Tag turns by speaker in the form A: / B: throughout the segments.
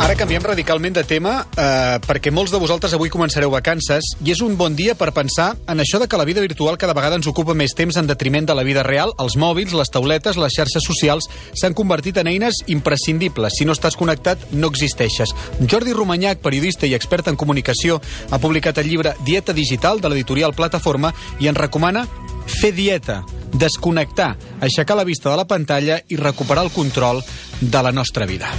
A: Ara canviem radicalment de tema perquè molts de vosaltres avui començareu vacances i és un bon dia per pensar en això de que la vida virtual cada vegada ens ocupa més temps en detriment de la vida real. Els mòbils, les tauletes, les xarxes socials s'han convertit en eines imprescindibles. Si no estàs connectat, no existeixes. Jordi Romanyac, periodista i expert en comunicació, ha publicat el llibre Dieta Digital de l'editorial Plataforma i ens recomana fer dieta, desconnectar, aixecar la vista de la pantalla i recuperar el control de la nostra vida.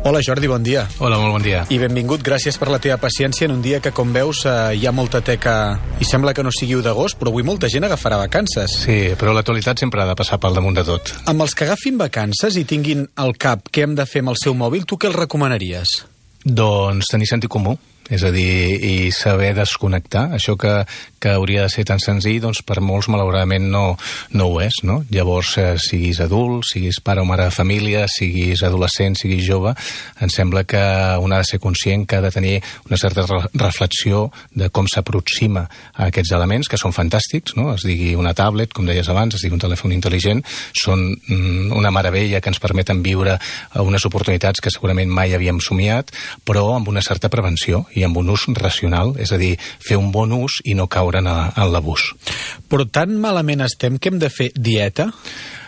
A: Hola Jordi, bon dia.
B: Hola, molt bon dia.
A: I benvingut, gràcies per la teva paciència en un dia que, com veus, hi ha molta teca i sembla que no sigui 1 d'agost, però avui molta gent agafarà vacances.
B: Sí, però l'actualitat sempre ha de passar pel damunt de tot.
A: Amb els que agafin vacances i tinguin al cap què hem de fer amb el seu mòbil, tu què els recomanaries?
B: Doncs tenir sentit comú. És a dir, i saber desconnectar. Això que hauria de ser tan senzill, doncs per molts malauradament no ho és, no? Llavors, siguis adult, siguis pare o mare de família, siguis adolescent, siguis jove, em sembla que un ha de ser conscient que ha de tenir una certa reflexió de com s'aproxima a aquests elements, que són fantàstics, no? Es digui una tablet, com deies abans, es digui un telèfon intel·ligent, són una meravella que ens permeten viure unes oportunitats que segurament mai havíem somiat, però amb una certa prevenció i amb un ús racional, és a dir, fer un bon ús i no caure en l'abús.
A: Però tan malament estem que hem de fer dieta?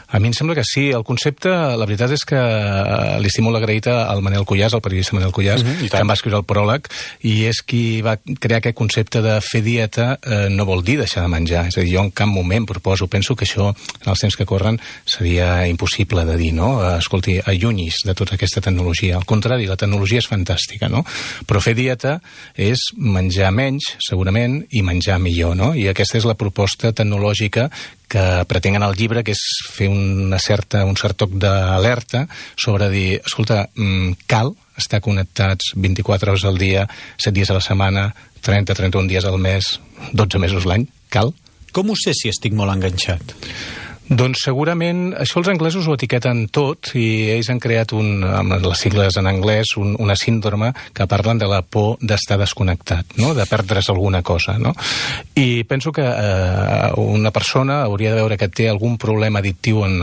B: A mi em sembla que sí. El concepte, la veritat és que li estic molt agraït al Manel Cuyàs, al periodista Manel Cuyàs, que em va escriure el pròleg, i és qui va crear aquest concepte de fer dieta no vol dir deixar de menjar. És a dir, jo en cap moment penso que això, en els temps que corren, seria impossible de dir, no? Escolti, allunyis de tota aquesta tecnologia. Al contrari, la tecnologia és fantàstica, no? Però fer dieta és menjar menys, segurament, i menjar millor, no? I aquesta és la proposta tecnològica que pretengen al llibre, que és fer un cert toc d'alerta sobre dir, escolta, cal estar connectats 24 hores al dia, 7 dies a la setmana, 30-31 dies al mes, 12 mesos l'any, cal?
A: Com ho sé si estic molt enganxat?
B: Doncs segurament, això els anglesos ho etiqueten tot i ells han creat, amb les sigles en anglès, una síndrome que parlen de la por d'estar desconnectat, no? De perdre's alguna cosa, no? I penso que una persona hauria de veure que té algun problema addictiu en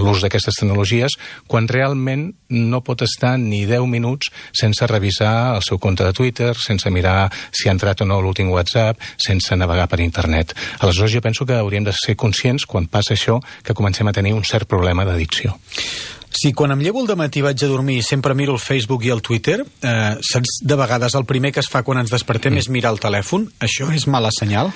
B: l'ús d'aquestes tecnologies quan realment no pot estar ni 10 minuts sense revisar el seu compte de Twitter, sense mirar si ha entrat o no l'últim WhatsApp, sense navegar per internet. Aleshores jo penso que hauríem de ser conscients, quan passa això, que comencem a tenir un cert problema d'addicció.
A: Si quan em llevo al dematí vaig a dormir sempre miro el Facebook i el Twitter, saps, de vegades el primer que es fa quan ens despertem és mirar el telèfon, això és mala senyal?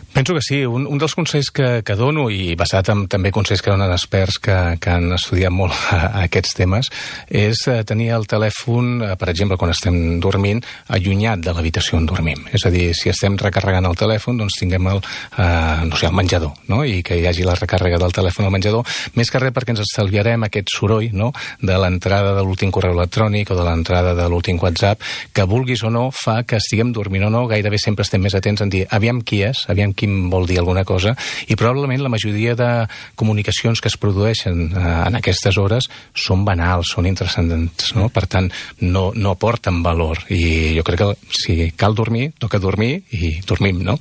B: Penso que sí. Un dels consells que dono, i basat en també consells que donen experts que han estudiat molt aquests temes, és tenir el telèfon, per exemple, quan estem dormint, allunyat de l'habitació on dormim. És a dir, si estem recarregant el telèfon, doncs tinguem el menjador, no? I que hi hagi la recàrrega del telèfon al menjador, més que res perquè ens estalviarem aquest soroll, no? De l'entrada de l'últim correu electrònic o de l'entrada de l'últim WhatsApp, que vulguis o no fa que estiguem dormint o no, gairebé sempre estem més atents en dir aviam qui és, aviam qui vol dir alguna cosa, i probablement la majoria de comunicacions que es produeixen en aquestes hores són banals, són intrascendents, no? Per tant, no aporten valor, i jo crec que si cal dormir, toca dormir i dormim, no?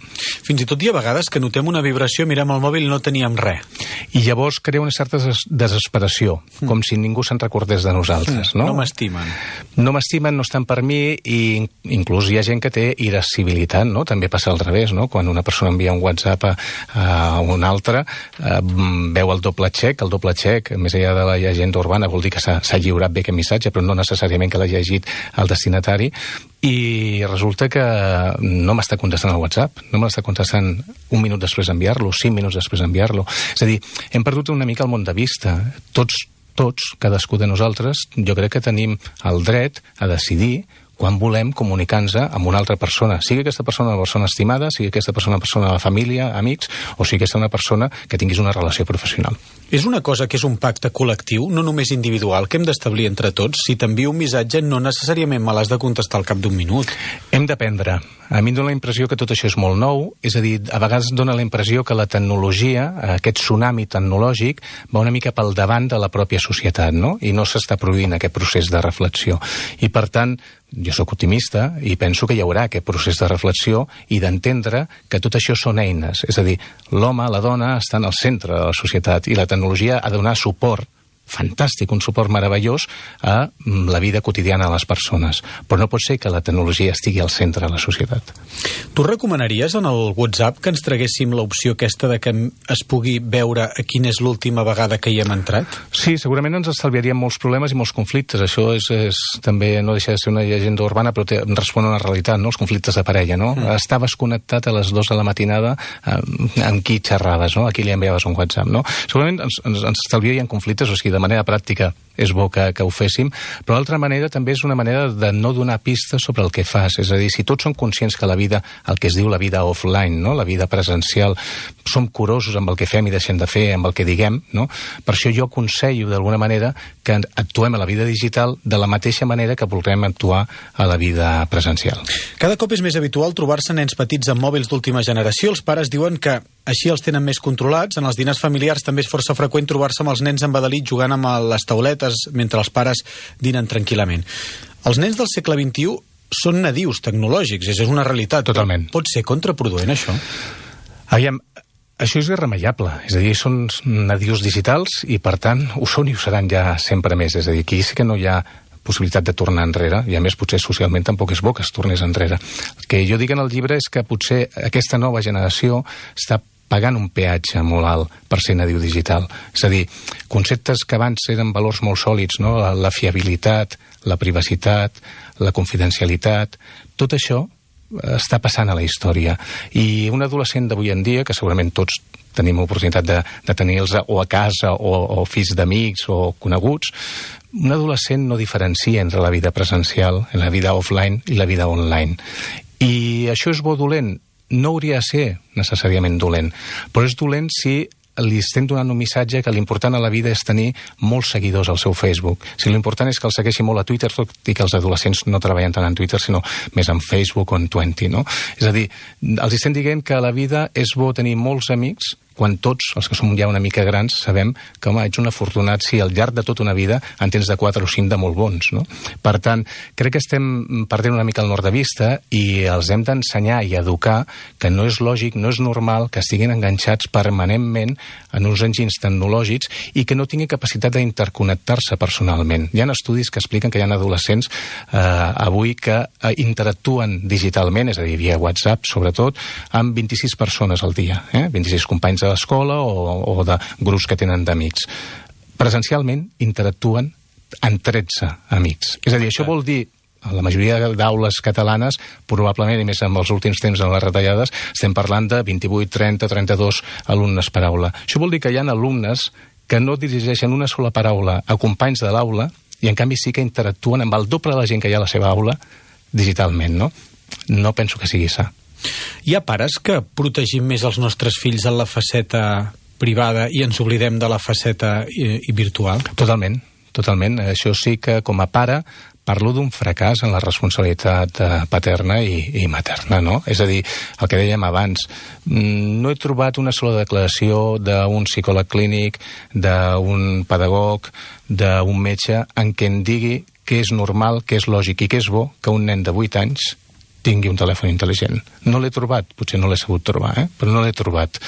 A: Fins i tot hi ha vegades que notem una vibració, mirem el mòbil i no teníem res.
B: I llavors crea una certa desesperació, com si ningú se'n recordés de nosaltres, no?
A: No m'estimen.
B: No m'estimen, no estan per mi, i inclús hi ha gent que té irascibilitat, no? També passa al revés, no? Quan una persona envia un WhatsApp a un altre, veu el doble xec, més enllà de la llegenda urbana, vol dir que s'ha lliurat bé aquest missatge, però no necessàriament que l'ha llegit el destinatari, i resulta que no m'està contestant el WhatsApp, no me l'està contestant un minut després d'enviar-lo, 5 minuts després d'enviar-lo. És a dir, hem perdut una mica el món de vista. Tots, cadascú de nosaltres, jo crec que tenim el dret a decidir quan volem comunicar-nos amb una altra persona, sigui aquesta persona una persona estimada, sigui aquesta persona una persona de la família, amics, o sigui aquesta una persona que tinguis una relació professional.
A: És una cosa que és un pacte col·lectiu, no només individual, que hem d'establir entre tots. Si t'envio un missatge, no necessàriament me l'has de contestar al cap d'un minut.
B: Hem d'aprendre. A mi em dóna la impressió que tot això és molt nou, és a dir, a vegades dóna la impressió que la tecnologia, aquest tsunami tecnològic, va una mica pel davant de la pròpia societat, no? I no s'està produint aquest procés de reflexió. I per tant, jo sóc optimista i penso que hi haurà aquest procés de reflexió i d'entendre que tot això són eines. És a dir, l'home, la dona, estan al centre de la societat i la tecnologia ha de donar suport fantàstic, un suport meravellós a la vida quotidiana de les persones. Però no pot ser que la tecnologia estigui al centre de la societat.
A: Tu recomanaries en el WhatsApp que ens traguéssim l'opció aquesta de que es pugui veure a quina és l'última vegada que hi hem entrat?
B: Sí, segurament ens estalviaríem molts problemes i molts conflictes. Això és també, no deixa de ser una llegenda urbana, però respon a una realitat, no? Els conflictes de parella, no? Estaves connectat a les 2 de la matinada amb qui xerraves, no? A qui li enviaves un WhatsApp, no? Segurament ens estalviarien conflictes, o sigui, de manera pràctica és bo que ho féssim, però d'altra manera també és una manera de no donar pistes sobre el que fas. És a dir, si tots som conscients que la vida, el que es diu la vida offline, no? La vida presencial, som curosos amb el que fem i deixem de fer, amb el que diguem, no? Per això jo aconsello d'alguna manera que actuem a la vida digital de la mateixa manera que volem actuar a la vida presencial.
A: Cada cop és més habitual trobar-se nens petits amb mòbils d'última generació. Els pares diuen que així els tenen més controlats. En els dinars familiars també és força freqüent trobar-se amb els nens embadalit jugant amb les tauletes mentre els pares dinen tranquil·lament. Els nens del segle XXI són nadius tecnològics, és una realitat.
B: Totalment.
A: Pot ser contraproduent, això?
B: Aviam, això és irremeiable. És a dir, són nadius digitals i, per tant, ho són i ho seran ja sempre més. És a dir, aquí sí que no hi ha possibilitat de tornar enrere, i a més potser socialment tampoc és bo que es tornés enrere. El que jo dic en el llibre és que potser aquesta nova generació està pagant un peatge molt alt per ser nadiu digital. És a dir, conceptes que abans eren valors molt sòlids, no? La fiabilitat, la privacitat, la confidencialitat, tot això està passant a la història. I un adolescent d'avui en dia, que segurament tots tenim oportunitat de tenir-los o a casa o fills d'amics o coneguts, un adolescent no diferencia entre la vida presencial, la vida offline i la vida online. I això és bo o dolent? No hauria de ser necessàriament dolent, però és dolent si li estem donant un missatge que l'important a la vida és tenir molts seguidors al seu Facebook. Si l'important és que el segueixi molt a Twitter, tot i que els adolescents no treballen tant en Twitter, sinó més en Facebook o en Twenty, no? És a dir, els estem dient que a la vida és bo tenir molts amics, quan tots, els que som ja una mica grans, sabem que, home, ets un afortunat si al llarg de tota una vida en tens de 4 o 5 de molt bons, no? Per tant, crec que estem perdent una mica el nord de vista i els hem d'ensenyar i educar que no és lògic, no és normal que estiguin enganxats permanentment en uns enginys tecnològics i que no tinguin capacitat d'interconnectar-se personalment. Hi ha estudis que expliquen que hi ha adolescents avui que interactuen digitalment, és a dir, via WhatsApp, sobretot, amb 26 persones al dia, 26 companys de l'escola o de grups que tenen d'amics. Presencialment interactuen amb 13 amics. És a dir, això vol dir, a la majoria d'aules catalanes, probablement, i més en els últims temps en les retallades, estem parlant de 28, 30, 32 alumnes per aula. Això vol dir que hi ha alumnes que no dirigeixen una sola paraula a companys de l'aula i, en canvi, sí que interactuen amb el doble de la gent que hi ha a la seva aula digitalment, no? No penso que sigui sa.
A: Hi ha pares que protegim més els nostres fills en la faceta privada i ens oblidem de la faceta virtual?
B: Totalment, totalment. Això sí que, com a pare, parlo d'un fracàs en la responsabilitat paterna i materna, no? És a dir, el que dèiem abans, no he trobat una sola declaració d'un psicòleg clínic, d'un pedagog, d'un metge, en què em digui que és normal, que és lògic i que és bo que un nen de 8 anys tingui un telèfon intel·ligent. No l'he trobat, potser no l'he sabut trobar, però no l'he trobat.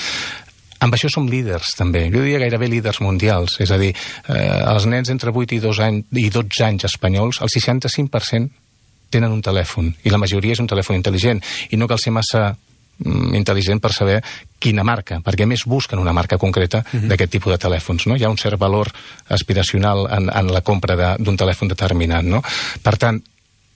B: Amb això som líders, també. Jo diria gairebé líders mundials. És a dir, els nens entre 8 i 12 anys espanyols, el 65% tenen un telèfon, i la majoria és un telèfon intel·ligent. I no cal ser massa intel·ligent per saber quina marca, perquè més busquen una marca concreta d'aquest tipus de telèfons, no? Hi ha un cert valor aspiracional en la compra d'un telèfon determinat, no? Per tant,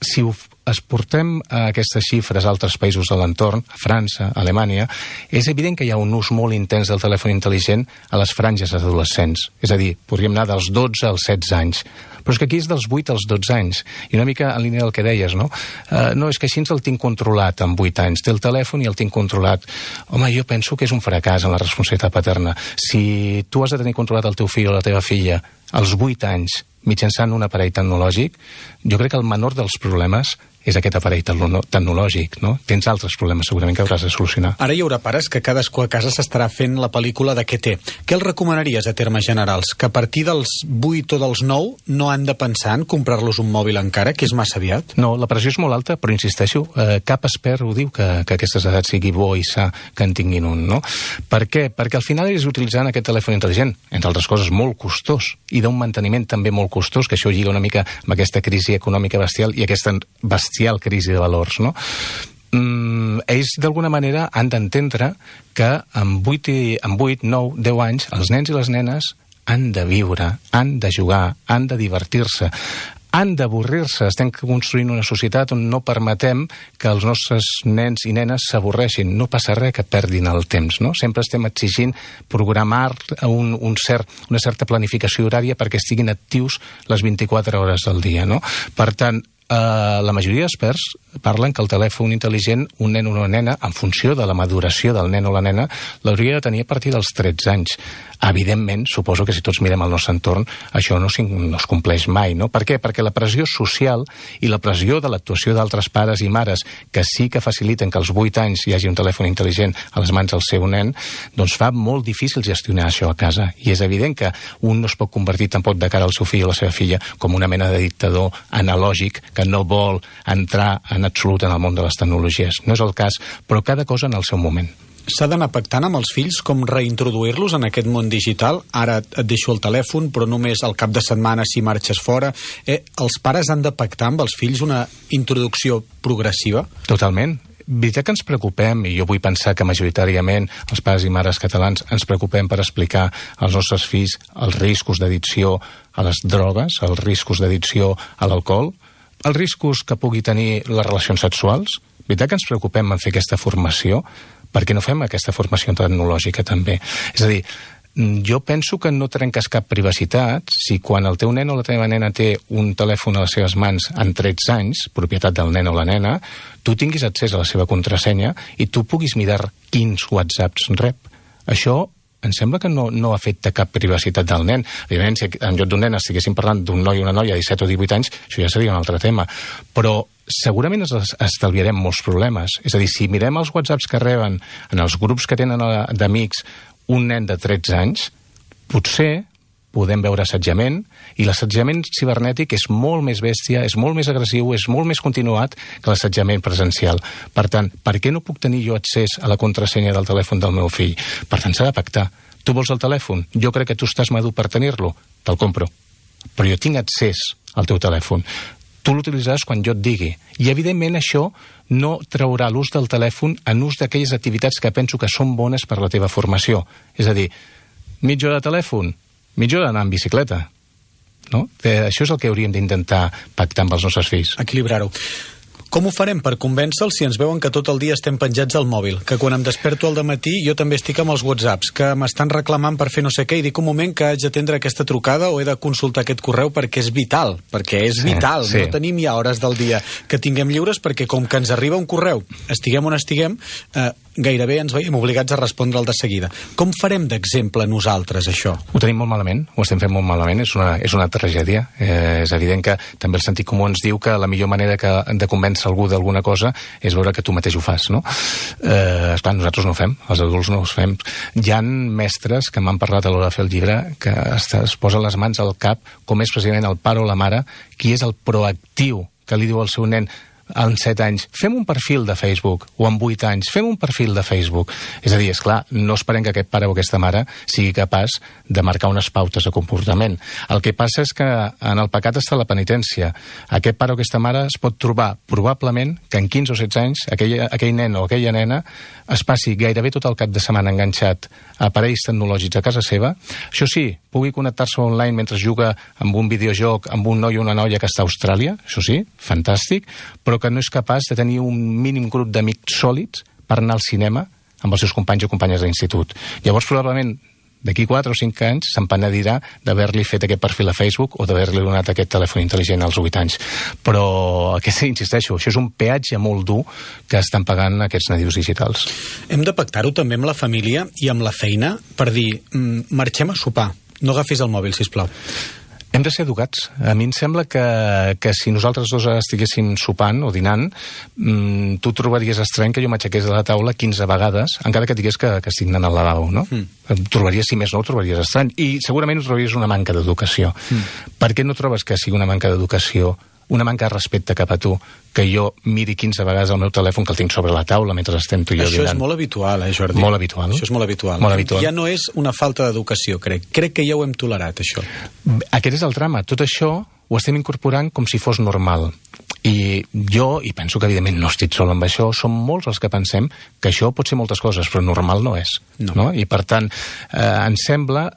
B: si exportem aquestes xifres a altres països de l'entorn, a França, a Alemanya, és evident que hi ha un ús molt intens del telèfon intel·ligent a les franges adolescents. És a dir, podríem anar dels 12 als 16 anys. Però és que aquí és dels 8 als 12 anys. I una mica en línia del que deies, no? No, és que així el tinc controlat amb 8 anys. Té el telèfon i el tinc controlat. Home, jo penso que és un fracàs en la responsabilitat paterna. Si tu has de tenir controlat el teu fill o la teva filla als 8 anys mitjançant un aparell tecnològic, jo crec que el menor dels problemes és aquest aparell tecnològic, no? Tens altres problemes segurament que hauràs de solucionar.
A: Ara hi haurà pares que cadascú a casa s'estarà fent la pel·lícula de què té. Què els recomanaries a termes generals? Que a partir dels 8 o dels 9 no han de pensar en comprar-los un mòbil encara, que és massa aviat?
B: No, la pressió és molt alta, però insisteixo, cap expert ho diu que aquestes edats sigui bo i sa que en tinguin un, no? Per què? Perquè al final és utilitzant aquest telèfon intel·ligent, entre altres coses, molt costós, i d'un manteniment també molt costós, que això lliga una mica amb aquesta crisi econòmica bestial i aquesta bestial crisi de valors, no? Ells, d'alguna manera, han d'entendre que amb 8, 9, 10 anys, els nens i les nenes han de viure, han de jugar, han de divertir-se, han d'avorrir-se. Estem construint una societat on no permetem que els nostres nens i nenes s'avorreixin. No passa res que perdin el temps, no? Sempre estem exigint programar una certa planificació horària perquè estiguin actius les 24 hores del dia, no? Per tant, la majoria d'experts parlen que el telèfon intel·ligent, un nen o una nena, en funció de la maduració del nen o la nena, l'hauria de tenir a partir dels 13 anys. Evidentment, suposo que si tots mirem el nostre entorn, això no es compleix mai, no? Per què? Perquè la pressió social i la pressió de l'actuació d'altres pares i mares, que sí que faciliten que als 8 anys hi hagi un telèfon intel·ligent a les mans del seu nen, doncs fa molt difícil gestionar això a casa. I és evident que un no es pot convertir tampoc de cara al seu fill o la seva filla com una mena de dictador analògic que no vol entrar en absolut en el món de les tecnologies. No és el cas, però cada cosa en el seu moment.
A: S'ha d'anar pactant amb els fills com reintroduir-los en aquest món digital? Ara et deixo el telèfon, però només al cap de setmana si marxes fora. Els pares han de pactar amb els fills una introducció progressiva?
B: Totalment. Veritat que ens preocupem, i jo vull pensar que majoritàriament els pares i mares catalans ens preocupem per explicar als nostres fills els riscos d'addicció a les drogues, els riscos d'addicció a l'alcohol, els riscos que pugui tenir les relacions sexuals. Veritat que ens preocupem en fer aquesta formació? Per què no fem aquesta formació tecnològica també? És a dir, jo penso que no trenques cap privacitat si quan el teu nen o la teva nena té un telèfon a les seves mans en 13 anys, propietat del nen o la nena, tu tinguis accés a la seva contrasenya i tu puguis mirar quins whatsapps rep. Això em sembla que no afecta cap privacitat del nen. Evidentment, si en lloc d'un nen estiguéssim parlant d'un noi o una noia de 17 o 18 anys, això ja seria un altre tema. Però segurament estalviarem molts problemes. És a dir, si mirem els whatsapps que reben en els grups que tenen d'amics un nen de 13 anys, potser podem veure assetjament, i l'assetjament cibernètic és molt més bèstia, és molt més agressiu, és molt més continuat que l'assetjament presencial. Per tant, per què no puc tenir jo accés a la contrasenya del telèfon del meu fill? Per tant, s'ha de pactar. Tu vols el telèfon? Jo crec que tu estàs madur per tenir-lo. Te'l compro. Però jo tinc accés al teu telèfon. Tu l'utilitzaràs quan jo et digui. I, evidentment, això no traurà l'ús del telèfon en ús d'aquelles activitats que penso que són bones per la teva formació. És a dir, mitja hora de telèfon, mitja hora d'anar en bicicleta. No? Això és el que hauríem d'intentar pactar amb els nostres fills.
A: Equilibrar-ho. Com ho farem per convèncer-los si ens veuen que tot el dia estem penjats al mòbil? Que quan em desperto al dematí jo també estic amb els whatsapps, que m'estan reclamant per fer no sé què i dic un moment que haig d'atendre aquesta trucada o he de consultar aquest correu perquè és vital, vital. Sí. No tenim ja hores del dia que tinguem lliures perquè com que ens arriba un correu, estiguem on estiguem, gairebé ens veiem obligats a respondre'l de seguida. Com farem d'exemple nosaltres, això?
B: Ho tenim molt malament, ho estem fent molt malament, és una tragèdia. És evident que també el sentit comú ens diu que la millor manera de convèncer algú d'alguna cosa és veure que tu mateix ho fas, no? Esclar, nosaltres no ho fem, els adults no ho fem. Hi ha mestres que m'han parlat a l'hora de fer el llibre que es posen les mans al cap, com és precisament el pare o la mare, qui és el proactiu que li diu al seu nen en 7 anys, fem un perfil de Facebook, o en 8 anys, fem un perfil de Facebook. És a dir, esclar, no esperem que aquest pare o aquesta mare sigui capaç de marcar unes pautes de comportament. El que passa és que en el pecat està la penitència. Aquest pare o aquesta mare es pot trobar, probablement, que en 15 o 16 anys aquell nen o aquella nena es passi gairebé tot el cap de setmana enganxat a aparells tecnològics a casa seva. Això sí, pugui connectar-se online mentre juga amb un videojoc amb un noi o una noia que està a Austràlia, això sí, fantàstic, però que no és capaç de tenir un mínim grup d'amics sòlids per anar al cinema amb els seus companys o companyes d'institut. Llavors, probablement, d'aquí 4 o 5 anys se'n penedirà d'haver-li fet aquest perfil a Facebook o d'haver-li donat aquest telèfon intel·ligent als 8 anys. Però, insisteixo, això és un peatge molt dur que estan pagant aquests nadius digitals.
A: Hem de pactar-ho també amb la família i amb la feina per dir, marxem a sopar, no agafis el mòbil, sisplau.
B: Hem de ser educats. A mi em sembla que si nosaltres dos estiguéssim sopant o dinant, tu trobaries estrany que jo m'aixequés de la taula 15 vegades, encara que digués que estic anant al lavabo, no? Trobaries, si més no, ho trobaries estrany. I segurament ho trobaries una manca d'educació. Per què no trobes que sigui una manca d'educació, una manca de respecte cap a tu, que jo miri 15 vegades el meu telèfon que el tinc sobre la taula mentre estem tu i jo dinant?
A: Això és molt habitual, Jordi?
B: Molt habitual.
A: Això és molt habitual. Ja no és una falta d'educació, crec. Crec que ja ho hem tolerat, això.
B: Aquest és el drama. Tot això ho estem incorporant com si fos normal. I jo, i penso que evidentment no estic sol amb això, som molts els que pensem que això pot ser moltes coses, però normal no és. No? I per tant, em sembla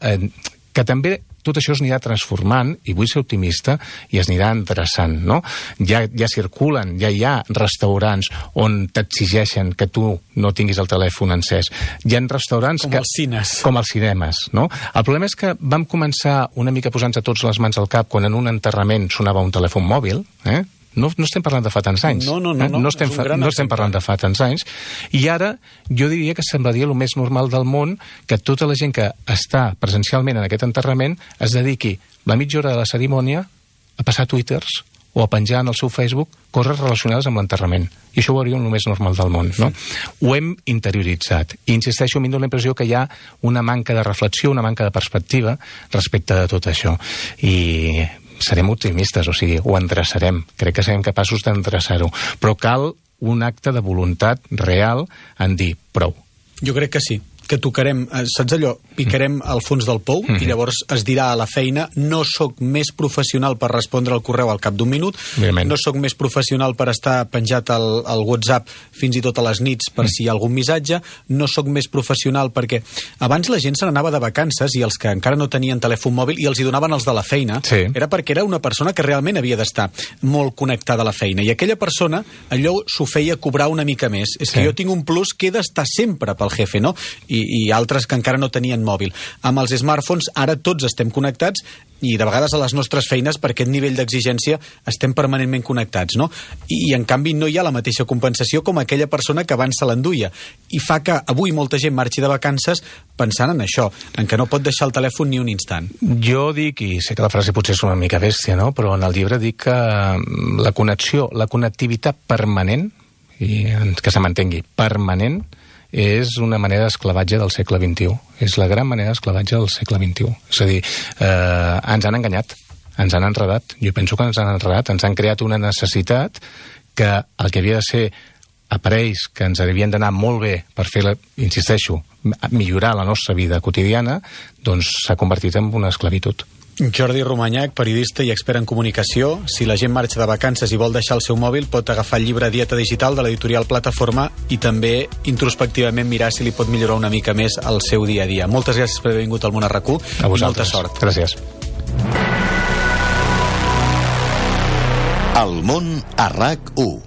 B: que també tot això es anirà transformant, i vull ser optimista, i es anirà endreçant, no? Ja circulen, ja hi ha restaurants on t'exigeixen que tu no tinguis el telèfon encès. Hi ha restaurants
A: com els cines.
B: Com els cinemes, no? El problema és que vam començar una mica posant-nos tots les mans al cap quan en un enterrament sonava un telèfon mòbil, No estem parlant de fa tants anys. No estem parlant de fa tants anys. I ara jo diria que semblaria el més normal del món que tota la gent que està presencialment en aquest enterrament es dediqui la mitja hora de la cerimònia a passar twitters o a penjar en el seu Facebook coses relacionades amb l'enterrament. I això ho hauria el més normal del món, no? Ho hem interioritzat. I insisteixo, a mi em dóna la impressió que hi ha una manca de reflexió, una manca de perspectiva respecte de tot això. I serem optimistes, o sigui, ho endreçarem. Crec que serem capaços d'endreçar-ho. Però cal un acte de voluntat real en dir prou.
A: Jo crec que sí, que tocarem, saps allò, picarem al fons del pou i llavors es dirà a la feina no sóc més professional per respondre al correu al cap d'un minut, no sóc més professional per estar penjat al WhatsApp fins i tot a les nits per si hi ha algun missatge, no sóc més professional perquè abans la gent se n'anava de vacances i els que encara no tenien telèfon mòbil i els hi donaven els de la feina, era perquè era una persona que realment havia d'estar molt connectada a la feina i aquella persona allò s'ho feia cobrar una mica més. És que jo tinc un plus que he d'estar sempre pel jefe, no? I altres que encara no tenien mòbil. Amb els smartphones ara tots estem connectats i de vegades a les nostres feines per aquest nivell d'exigència estem permanentment connectats, no? I en canvi no hi ha la mateixa compensació com aquella persona que abans se l'enduia. I fa que avui molta gent marxi de vacances pensant en això, en que no pot deixar el telèfon ni un instant.
B: Jo dic, i sé que la frase potser és una mica bèstia, no? Però en el llibre dic que la connexió, la connectivitat permanent, i que se m'entengui, permanent, és una manera d'esclavatge del segle XXI. És la gran manera d'esclavatge del segle XXI. És a dir, ens han enganyat, ens han enredat. Jo penso que ens han enredat, ens han creat una necessitat que el que havia de ser aparells que ens havien d'anar molt bé per fer, insisteixo, millorar la nostra vida quotidiana, doncs s'ha convertit en una esclavitud.
A: Jordi Romanyac, periodista i expert en comunicació. Si la gent marxa de vacances i vol deixar el seu mòbil, pot agafar el llibre Dieta Digital de l'editorial Plataforma i també introspectivament mirar si li pot millorar una mica més el seu dia a dia. Moltes gràcies per haver vingut al Món a RAC1 i molta sort.
B: Gràcies.
C: El Món a RAC1.